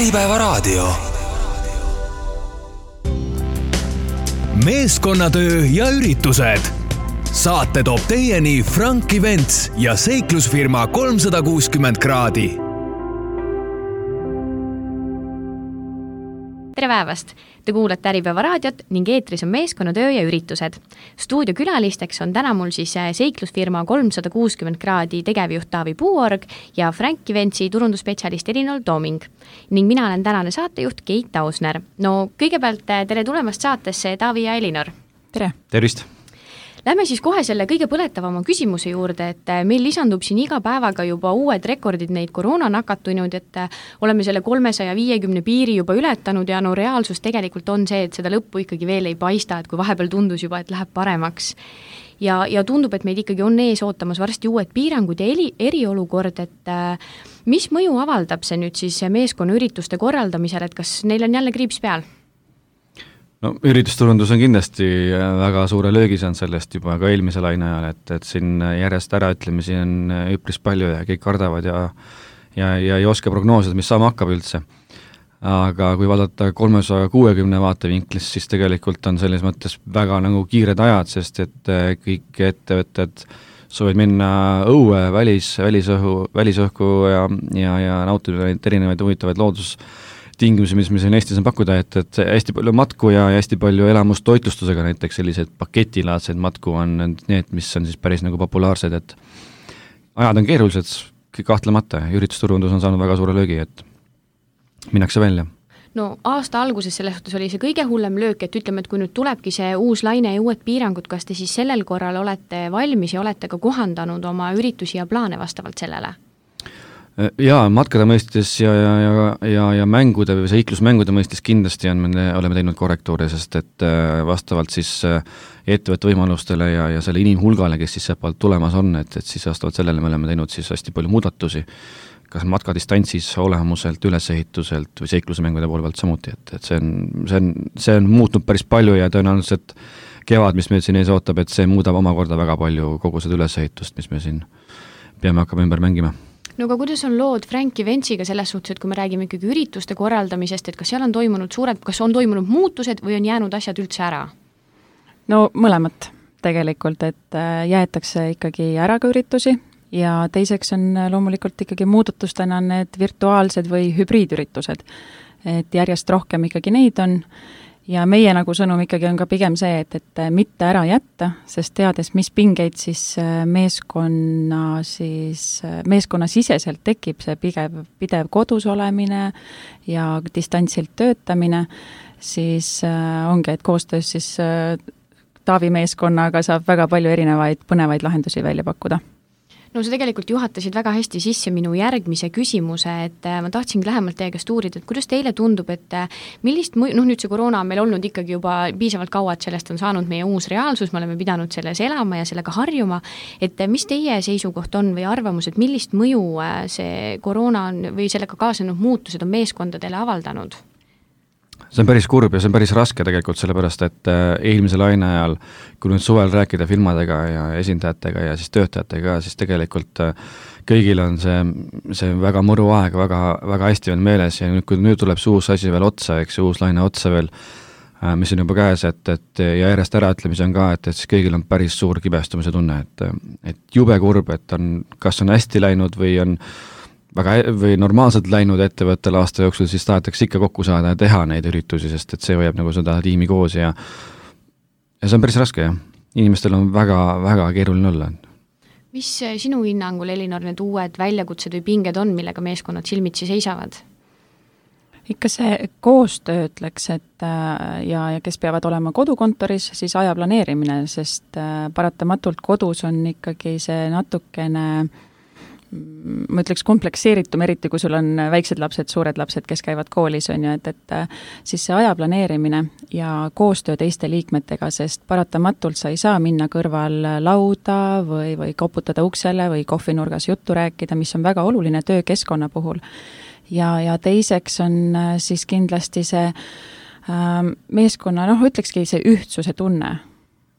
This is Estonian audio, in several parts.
Äripäevaraadio. Meeskonnatöö ja üritused. Saate toob teieni Frank Events ja seiklusfirma 360 kraadi. Tere päevast! Te kuulate Äripäevaraadiot ning eetris on meeskonnatöö ja üritused. Stuudiokülalisteks on täna mul siis seiklusfirma 360 kraadi tegevjuht Taavi Puuorg ja Frank Eventsi turundusspetsialist Elinor Tooming. Ning mina olen tänane saatejuht Keit Tausner. No kõigepealt tere tulemast saatesse Taavi ja Elinor. Tere! Tervist! Lähme siis kohe selle kõige põletavama küsimuse juurde, et meil lisandub siin iga päevaga juba uued rekordid neid koroona nakatunud, et oleme selle 350 piiri juba ületanud ja no reaalsus tegelikult on see, et seda lõppu ikkagi veel ei paista, et kui vahepeal tundus juba, et läheb paremaks. Ja tundub, et meid ikkagi on ees ootamas varsti uued piirangud ja eriolukord, et mis mõju avaldab see nüüd siis meeskonnaürituste korraldamisel, et kas neil on jälle kriips peal? No üritusturundus on kindlasti väga suure löögi saanud sellest juba ka eelmise laine ajal, et siin järjest äraütlemisi on üpris palju ja kõik kardavad ja ei oska prognoosida, mis saama hakkab üldse. Aga kui vaadata 360 vaatevinklist, siis tegelikult on selles mõttes väga nagu kiired ajad, sest et kõik ettevõtted soovid minna õue, välisõhku ja nautida neid erinevaid huvitavaid loodustingimusi, mis siin Eestis on pakkuda, et hästi palju matku ja hästi palju elamustoitlustusega, näiteks sellised paketilaadseid matku on need, mis on siis päris nagu populaarsed, et ajad on keerulised, kahtlemata, üritusturundus on saanud väga suure löögi, et minnakse välja. No aasta alguses selles suhtes oli see kõige hullem löök, et ütleme, et kui nüüd tulebki see uus laine ja uued piirangud, kas te siis sellel korral olete valmis ja olete ka kohandanud oma üritusi ja plaane vastavalt sellele? Jaa, matkade mõistes ja mängude või seiklusmängude mõistes kindlasti oleme teinud korrektuure, sest et vastavalt siis ettevõtte võimalustele ja selle inimhulgale, kes siis sealt tulemas on, et siis vastavalt sellele me oleme teinud siis hästi palju muudatusi, kas matkadistantsis, olemuselt, ülesehituselt või seiklusemängude poole pealt samuti, et see on muutnud päris palju ja tõenäoliselt kevad, mis meil siin ees ootab, et see muudab omakorda väga palju kogu seda ülesehitust, mis me siin peame hakkama ümber mängima. No aga kuidas on lood Frank Eventsiga selles suhtes, et kui me räägime ikkagi ürituste korraldamisest, et kas seal on toimunud kas on toimunud muutused või on jäänud asjad üldse ära? No mõlemat tegelikult, et jäetakse ikkagi ära ka üritusi ja teiseks on loomulikult ikkagi muudatustena need virtuaalsed või hübriidüritused, et järjest rohkem ikkagi neid on. Ja meie nagu sõnum ikkagi on ka pigem see, et mitte ära jätta, sest teades, mis pingeid siis meeskonna siseselt tekib see pidev kodus olemine ja distantsilt töötamine, siis ongi, et koostöös siis Taavi meeskonnaga saab väga palju erinevaid põnevaid lahendusi välja pakkuda. No sa tegelikult juhatasid väga hästi sisse minu järgmise küsimuse, et ma tahtsingi lähemalt teie käest uurida, et kuidas teile tundub, et millist nüüd see koroona on meil olnud ikkagi juba piisavalt kaua, et sellest on saanud meie uus reaalsus, me oleme pidanud selles elama ja sellega harjuma, et mis teie seisukoht on või arvamus, et millist mõju see koroona või sellega kaasnenud muutused on meeskondadele avaldanud? See on päris kurb ja see on päris raske tegelikult, sellepärast et eelmise laine ajal, kui nüüd suvel rääkida firmadega ja esindajatega ja siis töötajatega, siis tegelikult kõigil on see väga mõru aeg, väga, väga hästi on meeles ja kui nüüd tuleb see uus asi veel otsa, eks uus laine otsa veel, mis on juba käes, et ja järjest äraütlemisi on ka, et siis kõigil on päris suur kibestumise tunne, et jube kurb, et kas on hästi läinud või on või normaalselt läinud ettevõttel aasta jooksul, siis tahetakse ikka kokku saada ja teha neid üritusi, sest et see hoiab nagu seda tiimi koos ja see on päris raske, jah. Inimestel on väga, väga keeruline olla. Mis sinu hinnangul, Elinor, need uued väljakutsed või pinged on, millega meeskonnad silmitsi seisavad? Ikka see koostöö ütleks, et ja kes peavad olema kodukontoris, siis aja planeerimine, sest paratamatult kodus on ikkagi see natukene ma ütleks komplekseeritum, eriti kui sul on väiksed lapsed, suured lapsed, kes käivad koolis, on ju, et siis see aja planeerimine ja koostöö teiste liikmetega, sest paratamatult sa ei saa minna kõrval lauda või koputada uksele või kohvinurgas juttu rääkida, mis on väga oluline töökeskkonna puhul. Ja teiseks on siis kindlasti see meeskonna, ütlekski see ühtsuse tunne.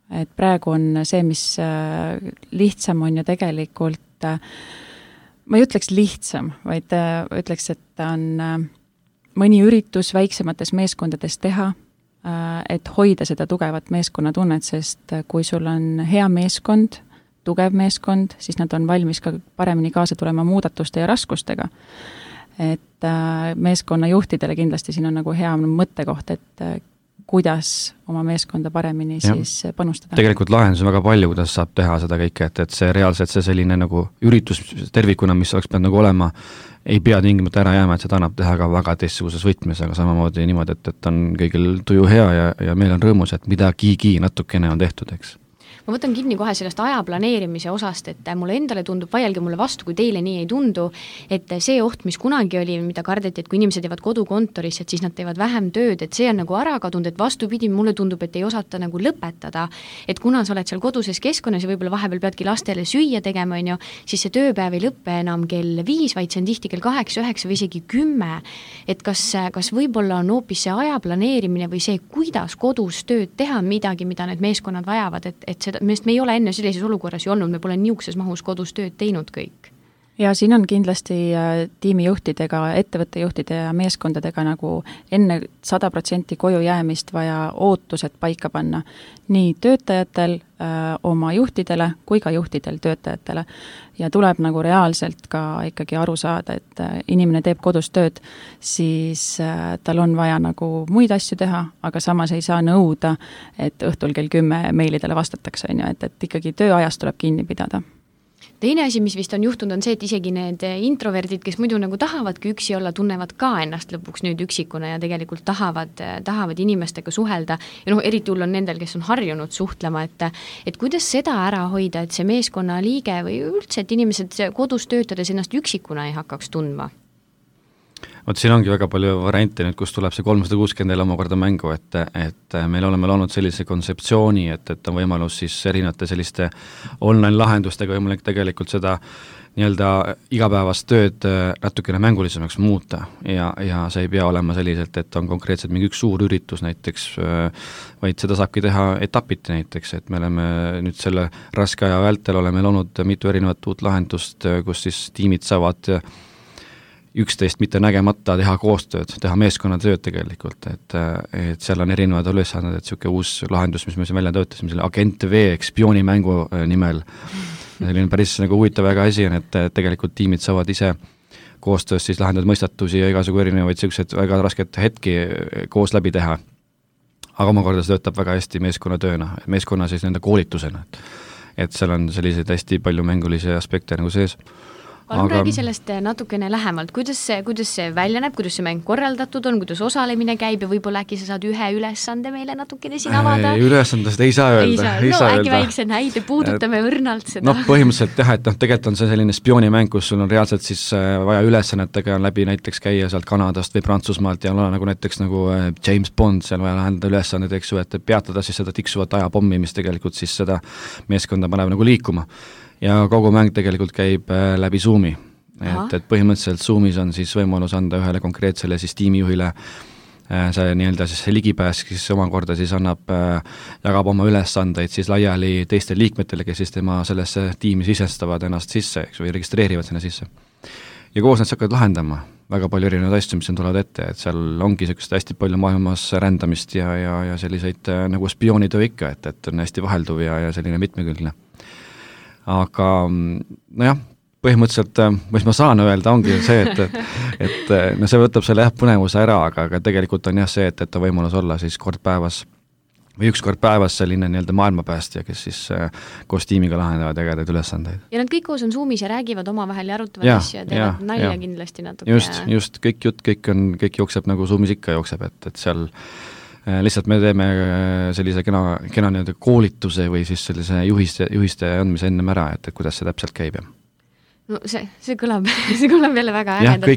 Et praegu on see, mis lihtsam on ju tegelikult ma ei ütleks lihtsam, vaid ütleks, et ta on mõni üritus väiksemates meeskondades teha, et hoida seda tugevat meeskonnatunnet, sest kui sul on hea meeskond, tugev meeskond, siis nad on valmis ka paremini kaasa tulema muudatuste ja raskustega. Et meeskonnajuhtidele kindlasti siin on nagu hea mõttekoht, et kuidas oma meeskonda paremini siis panustada. Tegelikult lahendus on väga palju, kuidas saab teha seda kõike, et see reaalselt see selline nagu üritus tervikuna, mis oleks pidanud nagu olema, ei pea tingimata ära jääma, et seda annab teha ka väga teistsuguses võtmes, aga samamoodi niimoodi, et on kõigil tuju hea ja meil on rõõmus, et midagigi natukene on tehtud, eks. Ma võtan kinni kohe sellest aja planeerimise osast, et mulle endale tundub, vaielge mulle vastu, kui teile nii ei tundu, et see oht, mis kunagi oli, mida kardeti, et kui inimesed jäävad kodukontoris, et siis nad teevad vähem tööd, et see on nagu ära kadunud, et vastupidi, mulle tundub, et ei osata nagu lõpetada, et kuna sa oled seal koduses keskkonnas ja võib-olla vahepeal peadki lastele süüa tegema, siis see tööpäev ei lõppe enam kell 5, vaid see on tihti kell 8, 9 või isegi 10, et kas võib-olla on hoopis see aja planeerimine või see, kuidas kodus tööd teha midagi, mida need meeskonnad vajavad, et me ei ole enne sellises olukorras ju olnud, me pole niisuguses mahus kodus tööd teinud kõik. Ja siin on kindlasti tiimijuhtidega, ettevõttejuhtide ja meeskondadega nagu enne 100% koju jäämist vaja ootused paika panna nii töötajatel oma juhtidele kui ka juhtidel töötajatele. Ja tuleb nagu reaalselt ka ikkagi aru saada, et inimene teeb kodus tööd, siis tal on vaja nagu muid asju teha, aga samas ei saa nõuda, et õhtul kell 10 meilidele vastatakse, et ikkagi tööajast tuleb kinni pidada. Teine asi, mis vist on juhtunud, on see, et isegi need introverdid, kes muidu nagu tahavadki üksi olla, tunnevad ka ennast lõpuks nüüd üksikuna ja tegelikult tahavad inimestega suhelda. Ja eriti hull on nendel, kes on harjunud suhtlema, et kuidas seda ära hoida, et see meeskonna liige või üldse, et inimesed kodus töötades ennast üksikuna ei hakkaks tundma? Vot siin ongi väga palju variante nüüd, kus tuleb see 360 omakorda mängu, et meil oleme loonud sellise kontseptsiooni, et on võimalus siis erinevate selliste online lahendustega võimalik tegelikult seda nii-öelda igapäevast tööd natukene mängulisemaks muuta ja see ei pea olema selliselt, et on konkreetselt mingi üks suur üritus näiteks, vaid seda saabki teha etapiti näiteks, et me oleme nüüd selle raske aja vältel oleme loonud mitu erinevat uut lahendust, kus siis tiimid saavad üksteist mitte nägemata teha koostööd, teha meeskonnatööd tegelikult, et seal on erinevad ülesanded, et niisugune uus lahendus, mis me siin välja töötasime, selle Agent V spioonimängu nimel, selline päris nagu huvitav väga asi on, et tegelikult tiimid saavad ise koostöös siis lahendada mõistatusi ja igasugu erinevaid sellised väga rasket hetki koos läbi teha. Aga omakorda see töötab väga hästi meeskonnatööna, meeskonna siis nende koolitusena, et seal on selliseid hästi palju mängulisi aspekte nagu sees. Palun räägi sellest natukene lähemalt, kuidas see välja näeb, kuidas see mäng korraldatud on, kuidas osalemine käib ja võib-olla äkki sa saad ühe ülesande meile natukene siin avada? Ülesandest ei saa öelda. Äkki väikse näide, puudutame õrnalt seda. Põhimõtteliselt jah, et tegelikult on see selline spioonimäng, kus sul on reaalselt siis vaja ülesannetega läbi näiteks käia sealt Kanadast või Prantsusmaalt ja olla nagu näiteks nagu James Bond, seal vaja lahendada ülesanded, eks ju, et peatada siis seda tiksuvat ajapommi, mis tegelikult siis seda meeskonda paneb nagu liikuma. Ja kogu mäng tegelikult käib läbi Zoomi, et põhimõtteliselt Zoomis on siis võimalus anda ühele konkreetsele siis tiimijuhile see nii-öelda siis see ligipääs, kes omakorda siis jagab oma ülesandeid siis laiali teiste liikmetele, kes siis tema sellesse tiimi sisestavad ennast sisse, eks, või registreerivad sinna sisse. Ja koos nad hakkavad lahendama väga palju erinevaid asju, mis tulevad ette, et seal ongi sellist hästi palju maailmas rändamist ja selliseid nagu spioonitöö ikka, et on hästi vahelduv ja selline mitmekülgne. Aga nojah, põhimõtteliselt, mis ma saan öelda, ongi see, et no see võtab selle põnevuse ära, aga tegelikult on jah see, et on võimalus olla siis kord päevas või üks kord päevas selline nii-öelda maailmapäästja, kes siis koos tiimiga lahendavad ägedaid ülesandeid. Ja nad kõik koos on Zoomis ja räägivad omavahel ja arutavad asju ja teevad nalja kindlasti natuke. Just, kõik jutt, kõik jookseb nagu Zoomis ikka jookseb, et seal lihtsalt me teeme sellise kena nii-öelda koolituse või siis sellise juhiste andmise ennem ära, et kuidas see täpselt käib. No see kõlab jälle väga ägedalt. Jah,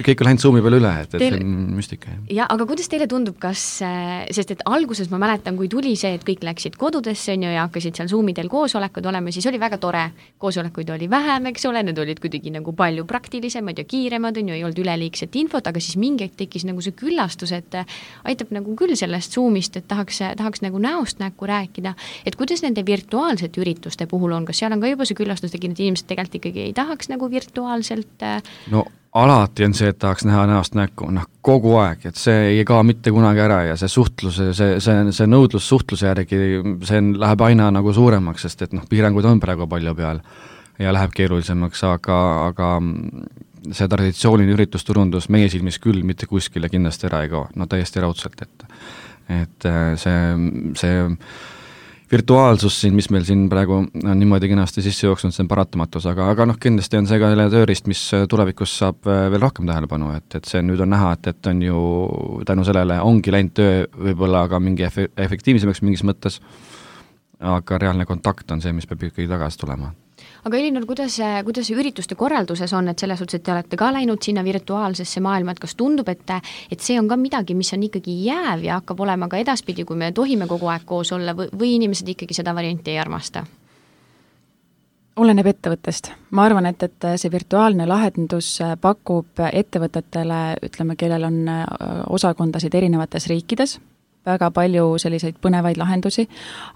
kõik on läinud Zoomi peale üle, et see on müstika. Ja, aga kuidas teile tundub, sest et alguses ma mäletan, kui tuli see, et kõik läksid kodudesse ja hakkasid seal Zoomidel koosolekud olema, siis oli väga tore. Koosolekuid oli vähem, eks ole, need olid kuidagi nagu palju praktilisemad ja kiiremad, ei olnud üleliigset infot, aga siis mingi tekkis nagu see küllastus, et aitab nagu küll sellest Zoomist, et tahaks nagu näost näkku rääkida, et kuidas nende virtuaalsete ürituste puhul on, kas seal on ka juba see küllastus tekinud, inimesed tegelikult ikkagi ei taha tahaks nagu virtuaalselt No alati on see, et tahaks näha näost näkku, kogu aeg, et see ei kao mitte kunagi ära ja see suhtlus, see nõudlus suhtluse järgi, see läheb aina nagu suuremaks, sest et piirangud on praegu palju peal ja läheb keerulisemaks, aga see traditsiooniline üritusturundus meie silmis küll mitte kuskile kindlasti ära ei kao, täiesti raudselt, et see virtuaalsus siin, mis meil siin praegu on niimoodi kenasti sisse jooksnud, see on paratamatus, aga kindlasti on see ka tööriist, mis tulevikus saab veel rohkem tähelepanu, et see nüüd on näha, et on ju tänu sellele ongi läinud töö võib-olla ka mingi efektiivsemaks mingis mõttes, aga reaalne kontakt on see, mis peab ikkagi tagasi tulema. Aga Elinor, kuidas ürituste korralduses on, et selles suhtes, et te olete ka läinud sinna virtuaalsesse maailma, et kas tundub, et see on ka midagi, mis on ikkagi jääv ja hakkab olema ka edaspidi, kui me tohime kogu aeg koos olla või inimesed ikkagi seda varianti ei armasta? Oleneb ettevõttest. Ma arvan, et see virtuaalne lahendus pakub ettevõtetele, ütleme, kellel on osakondasid erinevates riikides, väga palju selliseid põnevaid lahendusi,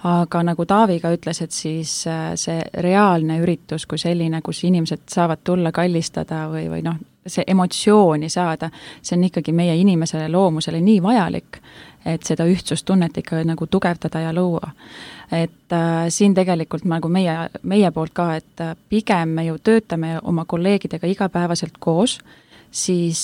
aga nagu Taavi ka ütles, et siis see reaalne üritus kui selline, kus inimesed saavad tulla kallistada või see emotsiooni saada, see on ikkagi meie inimesele loomusele nii vajalik, et seda ühtsustunnet ikka nagu tugevdada ja luua. Et siin tegelikult nagu meie poolt ka, et pigem me ju töötame oma kolleegidega igapäevaselt koos, siis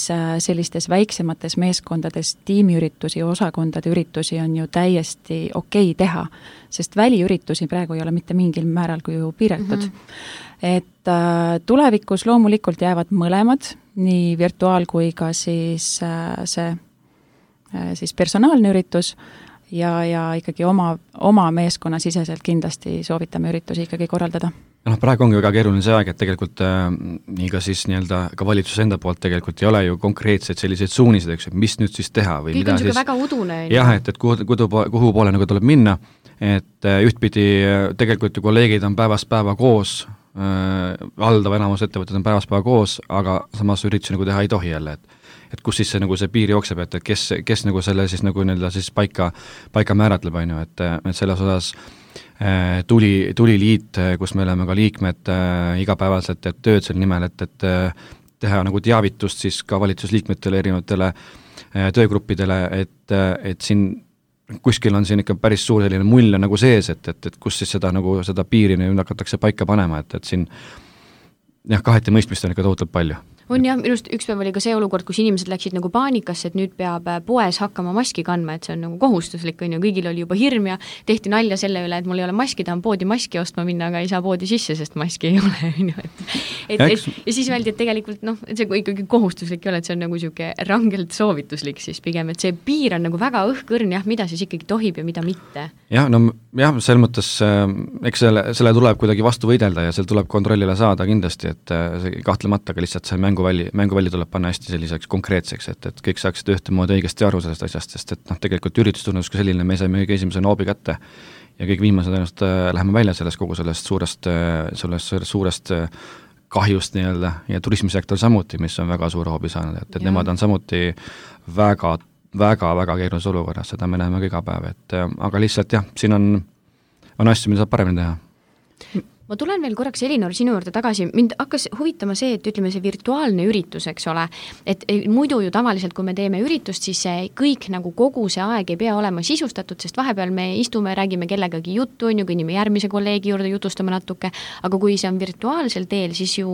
sellistes väiksemates meeskondades tiimiüritusi, osakondade üritusi on ju täiesti okei teha, sest väliüritusi praegu ei ole mitte mingil määral kui ju piiratud. Et tulevikus loomulikult jäävad mõlemad, nii virtuaal kui ka siis siis personaalne üritus ja ikkagi oma meeskonna siseselt kindlasti soovitame üritusi ikkagi korraldada. Praegu ongi väga keeruline see aeg, et tegelikult nii ka siis ka valitsuse enda poolt tegelikult ei ole ju konkreetseid selliseid suuniseid, eks, mis nüüd siis teha või kõik mida on siis väga udune. Jah, et kuhu poole nagu tuleb minna, et ühtpidi tegelikult ju kolleegid on päevast päeva koos, valdava enamus ettevõtted on päevast päeva koos, aga samas üritusi nagu teha ei tohi jälle, et kus siis see, nagu see piir jookseb, et kes nagu selle siis nagu siis paika määratleb, on ju, et selles osas tuli liit, kus me oleme ka liikmed igapäevaselt tööd selle nimel, et teha nagu teavitust siis ka valitsusliikmetele, erinevatele töögruppidele, et siin kuskil on siin ikka päris suur selline mull nagu sees, et kus siis seda piiri nüüd hakatakse paika panema, et siin kaheti mõistmist on ikka tohutult palju. On jah, minust üks päev oli ka see olukord, kus inimesed läksid nagu paanikasse, et nüüd peab poes hakkama maski kandma, et see on nagu kohustuslik, on ju, kõigil oli juba hirm ja tehti nalja selle üle, et mul ei ole maski, tahan poodi maski ostma minna, aga ei saa poodi sisse, sest maski ei ole, on ju, ja siis öeldi, et tegelikult et see ikkagi kohustuslik ei ole, et see on nagu siuke rangelt soovituslik siis pigem, et see piir on nagu väga õhkõrn, jah, mida siis ikkagi tohib ja mida mitte. Jah, selles mõttes, eks selle tuleb kuidagi vastu võidelda ja seal tuleb kontrollile saada kindlasti, et see kahtlemata, aga lihtsalt see mänguvälli tuleb panna hästi selliseks konkreetseks, et kõik saaksid ühtemoodi õigesti aru sellest asjast, sest et tegelikult üritustunnetus kui selline, me saime kõige esimese noobi kätte ja kõik viimased ennast läheme välja kogu sellest suurest kahjust nii-öelda ja turismisektor samuti, mis on väga suure hoobi saanud, et nemad on samuti väga keerulises olukorras, seda me näeme iga päev, aga lihtsalt jah, siin on asju, mida saab paremini teha. Ma tulen veel korraks, Elinor, sinu juurde tagasi. Mind hakkas huvitama see, et ütleme see virtuaalne üritus, eks ole, et muidu ju tavaliselt, kui me teeme üritust, siis kõik nagu kogu see aeg ei pea olema sisustatud, sest vahepeal me istume, räägime kellegagi juttu, on ju, kõnnime järgmise kolleegi juurde, jutustame natuke, aga kui see on virtuaalsel teel, siis ju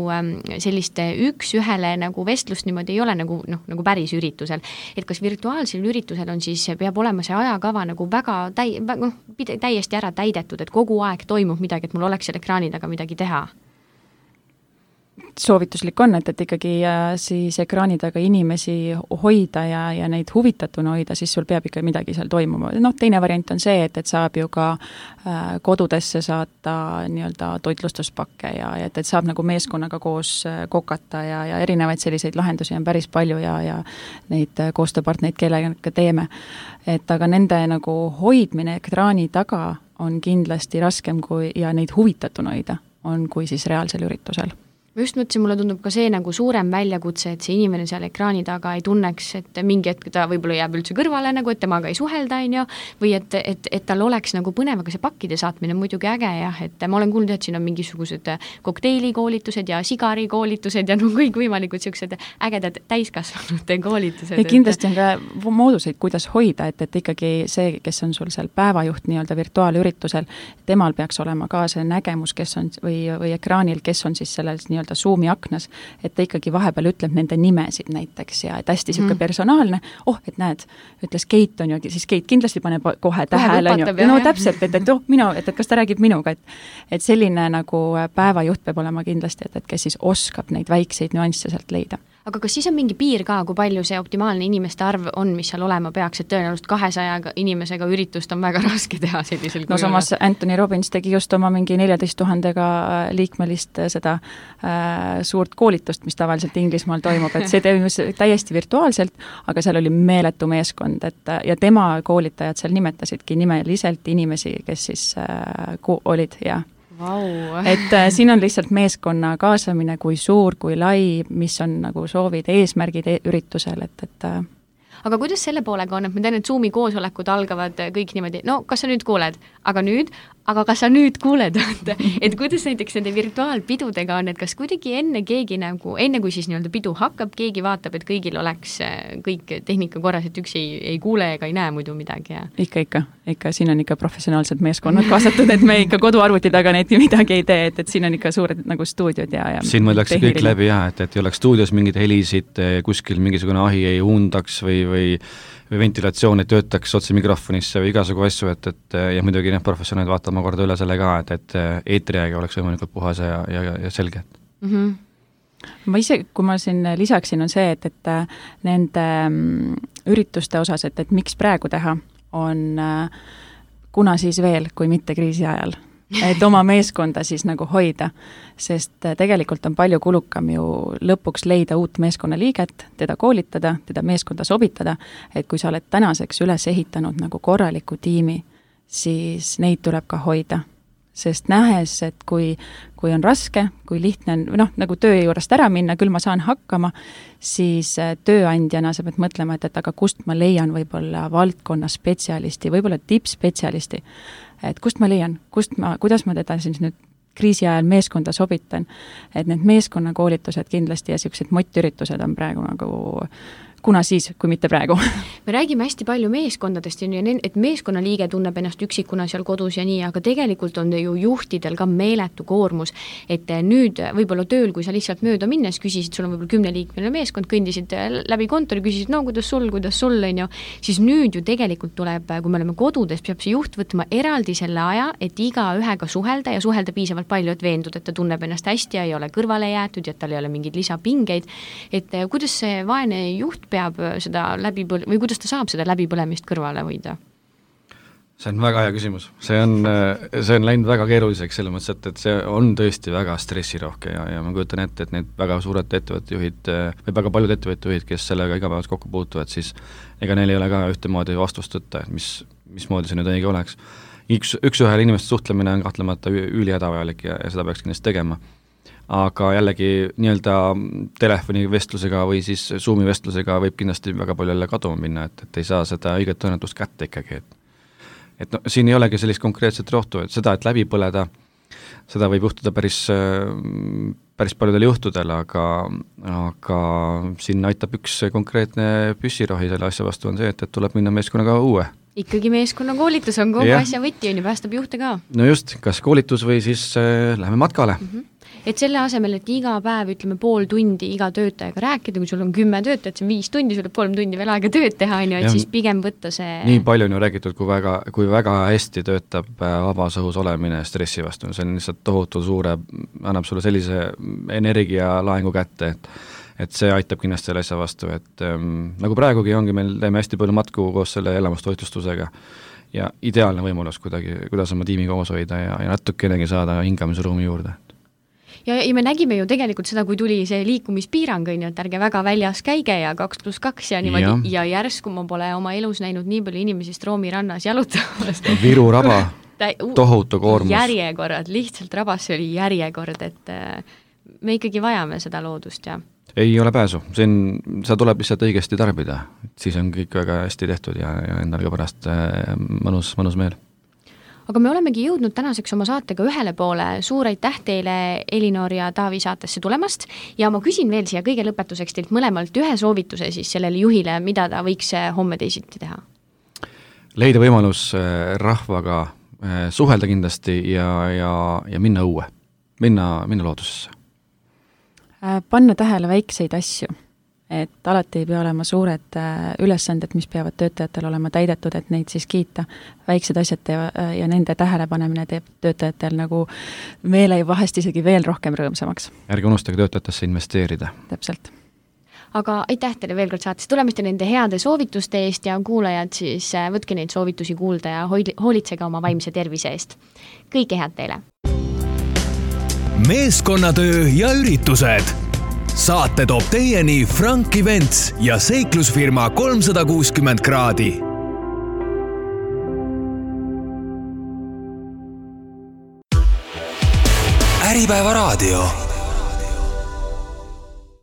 sellist üks-ühele nagu vestlust niimoodi ei ole nagu päris üritusel. Et kas virtuaalsel üritusel on siis, peab olema see ajakava nagu väga täiesti ära täidetud, et kogu aeg toimub midagi, et mul oleks seal ekraani taga midagi teha? Soovituslik on, et ikkagi siis ekraani taga inimesi hoida ja neid huvitatuna hoida, siis sul peab ikka midagi seal toimuma. Teine variant on see, et saab ju ka kodudesse saata nii-öelda toitlustuspakke ja et saab nagu meeskonnaga koos kokata ja erinevaid selliseid lahendusi on päris palju ja neid koostööpartnereid, kellega teeme. Aga nende nagu hoidmine ekraani taga on kindlasti raskem ja neid huvitatuna hoida on kui siis reaalsel üritusel. ma just mõtlesin, mulle tundub ka see nagu suurem väljakutse, et see inimene seal ekraani taga ei tunneks, et mingi hetk ta võib-olla jääb üldse kõrvale nagu, et temaga ei suhelda, on ju, või et tal oleks nagu põnev, aga see pakkide saatmine on muidugi äge jah, et ma olen kuulnud, et siin on mingisugused kokteilikoolitused ja sigarikoolitused ja no kõikvõimalikud sellised ägedad täiskasvanute koolitused. Ja kindlasti on ka mooduseid, kuidas hoida, et ikkagi see, kes on sul seal päevajuht nii-öelda virtuaalüritusel, temal peaks olema ka see nägemus, kes on või ekraanil, kes on siis selles nii-öelda Zoomi aknas, et ta ikkagi vahepeal ütleb nende nimesid näiteks ja et hästi siuke personaalne, et näed, ütles Keit on ju, siis Keit kindlasti paneb kohe tähele, no täpselt, et kas ta räägib minuga, et selline nagu päevajuht peab olema kindlasti, et kes siis oskab neid väikseid nüansse sealt leida. Aga kas siis on mingi piir ka, kui palju see optimaalne inimeste arv on, mis seal olema peaks, et tõenäoliselt 200 inimesega üritust on väga raske teha sellisel kujul? No samas Anthony Robbins tegi just oma mingi 14 000 liikmelist seda suurt koolitust, mis tavaliselt Inglismaal toimub, et see toimus täiesti virtuaalselt, aga seal oli meeletu meeskond, ja tema koolitajad seal nimetasidki nimeliselt inimesi, kes siis olid ja Wow. Et siin on lihtsalt meeskonna kaasamine, kui suur, kui lai, mis on nagu soovid, eesmärgid üritusel, et Aga kuidas selle poolega on, et ma tean, et Zoomi koosolekud algavad kõik niimoodi, no kas sa nüüd kuuled, aga kas sa nüüd kuuled, et kuidas näiteks nende virtuaalpidudega on, et kas kuidagi enne kui siis nii-öelda pidu hakkab, keegi vaatab, et kõigil oleks kõik tehnika korras, et üks ei kuule ega ei näe muidu midagi? Ja? Ikka, siin on ikka professionaalsed meeskonnad kaasatud, et me ikka koduarvuti taga neid midagi ei tee, et siin on ikka suured nagu stuudiod ja siin mõeldakse kõik läbi et ei oleks stuudios mingeid helisid, kuskil mingisugune ahi ei uundaks või ventilatsioon ei töötaks otse mikrofonisse või igasugu asju, et ja muidugi need professionaalid vaatama korda üle selle ka, et eetriaega oleks võimalikult puhas ja selge. Ma ise, kui ma siin lisaksin, on see, et nende ürituste osas, et miks praegu teha, on kuna siis veel, kui mitte kriisi ajal. Et oma meeskonda siis nagu hoida, sest tegelikult on palju kulukam ju lõpuks leida uut meeskonnaliiget, teda koolitada, teda meeskonda sobitada, et kui sa oled tänaseks üles ehitanud nagu korraliku tiimi, siis neid tuleb ka hoida. Sest nähes, et kui on raske, kui lihtne on, nagu töö juurest ära minna, küll ma saan hakkama, siis tööandjana sa pead mõtlema, et aga kust ma leian võib-olla valdkonna spetsialisti, võib-olla tippspetsialisti, et kust ma leian, kuidas ma teda siis nüüd kriisi ajal meeskonda sobitan, et need meeskonnakoolitused kindlasti ja sellised motiüritused on praegu nagu kuna siis, kui mitte praegu. Me räägime hästi palju meeskondadest, et meeskonnaliige tunneb ennast üksikuna seal kodus ja nii, aga tegelikult on ju juhtidel ka meeletu koormus, et nüüd võib-olla tööl, kui sa lihtsalt mööda minnes küsisid, sul on võib-olla 10-liikmeline meeskond, kõndisid läbi kontori, küsisid, no kuidas sul, on ju, siis nüüd ju tegelikult tuleb, kui me oleme kodudes, peab see juht võtma eraldi selle aja, et iga ühega suhelda ja suhelda piisavalt palju, et veendud, et ta tunneb ennast hästi ja ei ole kõrvale jäetud ja tal ei ole mingeid lisapingeid, et kuidas see vaene juht peab seda või kuidas ta saab seda läbipõlemist kõrvale hoida? See on väga hea küsimus. See on läinud väga keeruliseks selles mõttes, et see on tõesti väga stressirohke ja ma kujutan ette, et need väga suured ettevõttejuhid või väga paljud ettevõttejuhid, kes sellega igapäevas kokku puutuvad, siis ega neil ei ole ka ühtemoodi vastust võtta, et mismoodi see nüüd õige oleks. Üks-ühele inimeste suhtlemine on kahtlemata ülihädavajalik ja seda peaks kindlasti tegema. Aga jällegi nii-öelda telefonivestlusega või siis Zoomi vestlusega võib kindlasti väga palju jälle kaduma minna, et ei saa seda õiget õnnetust kätte ikkagi. Et siin ei olegi sellist konkreetset rohtu, et seda, et läbi põleda, seda võib juhtuda päris paljudel juhtudel, aga siin aitab üks konkreetne püssirohi selle asja vastu on see, et tuleb minna meeskonnaga uue. Ikkagi meeskonnakoolitus on kogu asja võti, on ju, päästab juhte ka. No just, kas koolitus või siis läheme matkale. Et selle asemel, et iga päev, ütleme, pool tundi iga töötajaga rääkida, kui sul on 10 töötajat, see on 5 tundi, sul on 3 tundi veel aega tööd teha, et siis pigem võtta see... Nii palju on ju räägitud, kui väga hästi töötab vabas õhus olemine stressi vastu. See on lihtsalt tohutu suure, annab sulle sellise energialaengu kätte, et see aitab kindlasti selle asja vastu, et nagu praegugi ongi, meil teeme hästi palju matku koos selle elamustoitlustusega ja ideaalne võimalus kuidas oma tiimi koos hoida ja natukenegi saada hingamisruumi juurde. Ja me nägime ju tegelikult seda, kui tuli see liikumispiirang, et ärge väga väljas käige ja 2+2 ja niimoodi ja järsku ma pole oma elus näinud nii palju inimesi Stroomi rannas jalutamas. Viru raba, tohutu koormus. Järjekorrad, lihtsalt rabas oli järjekord, et me ikkagi vajame seda loodust ja ei ole pääsu, seda tuleb lihtsalt õigesti tarbida, siis on kõik väga hästi tehtud ja endal ka pärast mõnus meel. Aga me olemegi jõudnud tänaseks oma saatega ühele poole. Suur aitäh teile, Elinor ja Taavi, saatesse tulemast ja ma küsin veel siia kõige lõpetuseks teilt mõlemalt ühe soovituse siis sellele juhile, mida ta võiks homme teisiti teha. Leida võimalus rahvaga suhelda kindlasti ja minna õue, minna loodusesse. Panna tähele väikseid asju, et alati ei pea olema suured ülesanded, mis peavad töötajatel olema täidetud, et neid siis kiita. Väiksed asjad ja nende tähelepanemine teeb töötajatel nagu meele vahest isegi veel rohkem rõõmsamaks. Ärge unustage töötajatesse investeerida. Täpselt. Aga aitäh teile veel kord saatesse tulemist ja nende heade soovituste eest ja kuulajad siis võtke neid soovitusi kuulda ja hoolitsege oma vaimse tervise eest. Kõike head teile! Meeskonnatöö ja üritused. Saate toob teieni Frank Events ja seiklusfirma 360 kraadi. Äripäeva raadio.